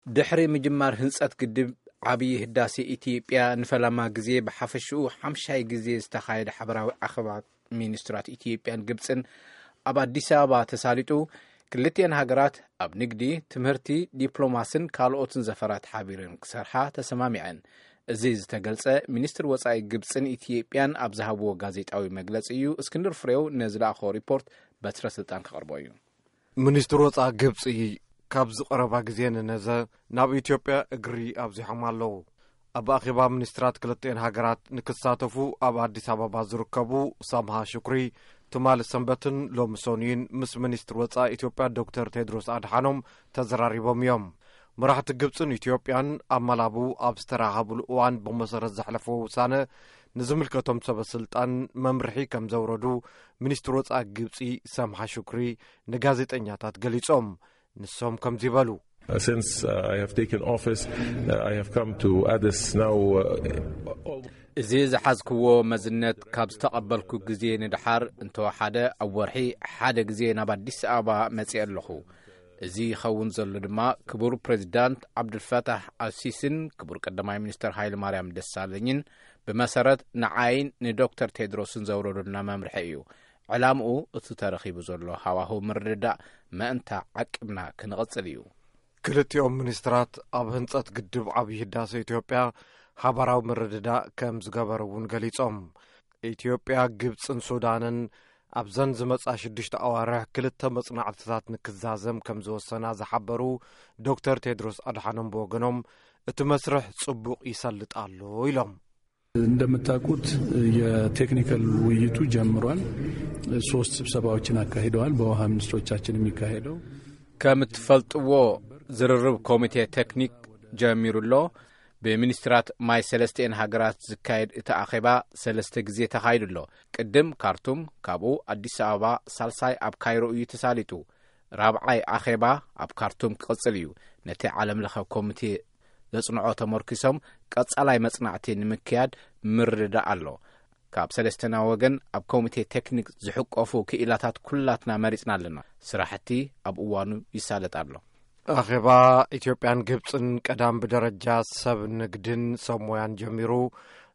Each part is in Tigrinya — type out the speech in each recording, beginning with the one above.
ድሕሪ ምጅማር ህንጸት ግድብ ዓብዪ ህዳሴ፣ ኢትዮጵያ ንፈለማ ግዜ ብሓፈሽኡ ሓምሻይ ግዜ ዝተኻየደ ሓበራዊ ኣኼባ ሚኒስትራት ኢትዮጵያን ግብጽን ኣብ ኣዲስ ኣበባ ተሳሊጡ። ክልቲኤን ሃገራት ኣብ ንግዲ፣ ትምህርቲ፣ ዲፕሎማስን ካልኦትን ዘፈራት ሓቢረን ክሰርሓ ተሰማሚዐን። እዚ ዝተገልጸ፣ ሚኒስትር ወጻኢ ግብጽን ኢትዮጵያን ኣብ ዝሃብዎ ጋዜጣዊ መግለጺ እዩ። እስክንድር ፍሬው ነዝለኣኾ ሪፖርት በትረ ስልጣን ከቕርቦ እዩ። ሚኒስትር ወጻኢ ግብጺ፣ ካብዚ ቀረባ ግዜ ንነዘ ናብ ኢትዮጵያ እግሪ ኣብዚሖም ኣለዉ። ኣብ ኣኼባ ሚኒስትራት ክልቲኤን ሃገራት ንክሳተፉ ኣብ ኣዲስ ኣበባ ዝርከቡ ሳምሃ ሽኩሪ፣ ትማሊ ሰንበትን ሎሚ ሰኑይን ምስ ሚኒስትር ወጻኢ ኢትዮጵያ ዶክተር ቴድሮስ ኣድሓኖም ተዘራሪቦም እዮም። መራሕቲ ግብጽን ኢትዮጵያን ኣብ ማላቡ ኣብ ዝተራኸብሉ እዋን ብመሰረት ዘሕለፈዎ ውሳነ ንዝምልከቶም ሰበ ስልጣን መምርሒ ከም ዘውረዱ ሚኒስትር ወጻኢ ግብጺ ሳምሃ ሽኩሪ ንጋዜጠኛታት ገሊጾም። ንሶም ከምዚ ይበሉ። Since uh, I have taken office, uh, I have come to Addis now. Uh, እዚ ዝሓዝክዎ መዝነት ካብ ዝተቐበልኩ ግዜ ንድሓር እንተወሓደ ኣብ ወርሒ ሓደ ግዜ ናብ ኣዲስ ኣበባ መጺአ ኣለኹ። እዚ ይኸውን ዘሎ ድማ ክቡር ፕሬዚዳንት ዓብዱልፈታሕ ኣልሲስን ክቡር ቀዳማይ ሚኒስትር ሃይለ ማርያም ደሳለኝን ብመሰረት ንዓይን ንዶክተር ቴድሮስን ዘውረዱልና መምርሒ እዩ። ዕላምኡ እቲ ተረኺቡ ዘሎ ሃዋህው ምርድዳእ መእንታ ዓቂብና ክንቕጽል እዩ። ክልቲኦም ሚኒስትራት ኣብ ህንጸት ግድብ ዓብዪ ህዳሴ ኢትዮጵያ ሓባራዊ ምርድዳእ ከም ዝገበሩ እውን ገሊጾም። ኢትዮጵያ፣ ግብጽን ሱዳንን ኣብዘን ዝመጻ ሽዱሽተ ኣዋርሕ ክልተ መጽናዕትታት ንክዛዘም ከም ዝወሰና ዝሓበሩ ዶክተር ቴድሮስ ኣድሓኖም ብወገኖም፣ እቲ መስርሕ ጽቡቕ ይሰልጥ ኣሎ ኢሎም። እንደምታውቁት የቴክኒካል ውይይቱ ጀምሯል። ሶስት ስብሰባዎችን አካሂደዋል። በውሃ ሚኒስትሮቻችን የሚካሄደው ከም እትፈልጥዎ፣ ዝርርብ ኮሚቴ ቴክኒክ ጀሚሩ ኣሎ። ብሚኒስትራት ማይ ሰለስቲኤን ሃገራት ዝካየድ እቲ ኣኼባ ሰለስተ ግዜ ተኻይዱ ኣሎ። ቅድም ካርቱም፣ ካብኡ ኣዲስ ኣበባ፣ ሳልሳይ ኣብ ካይሮ እዩ ተሳሊጡ። ራብዓይ ኣኼባ ኣብ ካርቱም ክቕጽል እዩ። ነቲ ዓለም ለኸ ኮሚቴ ዘጽንዖ ተመርኪሶም ቀጻላይ መጽናዕቲ ንምክያድ ምርድዳእ ኣሎ። ካብ ሰለስተና ወገን ኣብ ኮሚቴ ቴክኒክ ዝሕቆፉ ክኢላታት ኩላትና መሪጽና ኣለና። ስራሕቲ ኣብ እዋኑ ይሳለጥ ኣሎ። ኣኼባ ኢትዮጵያን ግብጽን ቀዳም ብደረጃ ሰብ ንግድን ሰብ ሞያን ጀሚሩ፣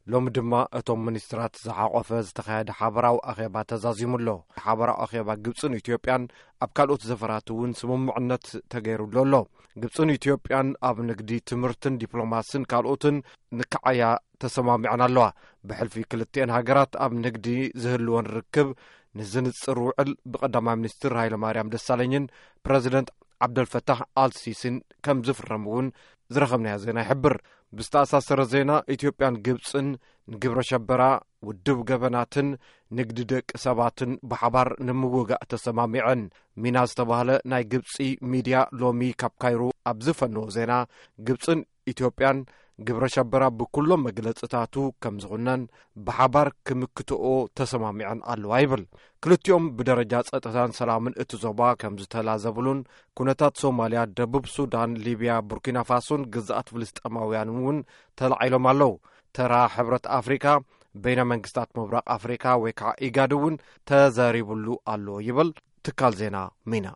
ሎሚ ድማ እቶም ሚኒስትራት ዝሓቆፈ ዝተኻየደ ሓበራዊ ኣኼባ ተዛዚሙ ኣሎ። ሓበራዊ ኣኼባ ግብጽን ኢትዮጵያን ኣብ ካልኦት ዘፈራት እውን ስምምዕነት ተገይሩሉ ኣሎ። ግብጽን ኢትዮጵያን ኣብ ንግዲ፣ ትምህርትን ዲፕሎማስን ካልኦትን ንክዓያ ተሰማሚዐን ኣለዋ። ብሕልፊ ክልቲኤን ሃገራት ኣብ ንግዲ ዝህልወን ርክብ ንዝንጽር ውዕል ብቀዳማይ ሚኒስትር ሃይለማርያም ደሳለኝን ፕረዚደንት ዓብደልፈታሕ ኣልሲሲን ከም ዝፍረም እውን ዝረኸብናዮ ዜና ይሕብር። ብዝተኣሳሰረ ዜና፣ ኢትዮጵያን ግብጽን ንግብረ ሸበራ፣ ውድብ ገበናትን ንግዲ ደቂ ሰባትን ብሓባር ንምውጋእ ተሰማሚዐን። ሚና ዝተባህለ ናይ ግብጺ ሚድያ ሎሚ ካብ ካይሮ ኣብ ዝፈነዎ ዜና፣ ግብጽን ኢትዮጵያን ግብረ ሸበራ ብኩሎም መግለጽታቱ ከም ዝኹነን ብሓባር ክምክትኦ ተሰማሚዐን ኣለዋ ይብል። ክልቲኦም ብደረጃ ጸጥታን ሰላምን እቲ ዞባ ከም ዝተላዘብሉን፣ ኩነታት ሶማልያ፣ ደቡብ ሱዳን፣ ሊብያ፣ ቡርኪና ፋሶን ግዝኣት ፍልስጤማውያን እውን ተላዒሎም ኣለዉ። ተራ ሕብረት ኣፍሪካ፣ በይነ መንግስታት ምብራቕ ኣፍሪካ ወይ ከዓ ኢጋድ እውን ተዘሪብሉ ኣሎ ይብል ትካል ዜና ሚና።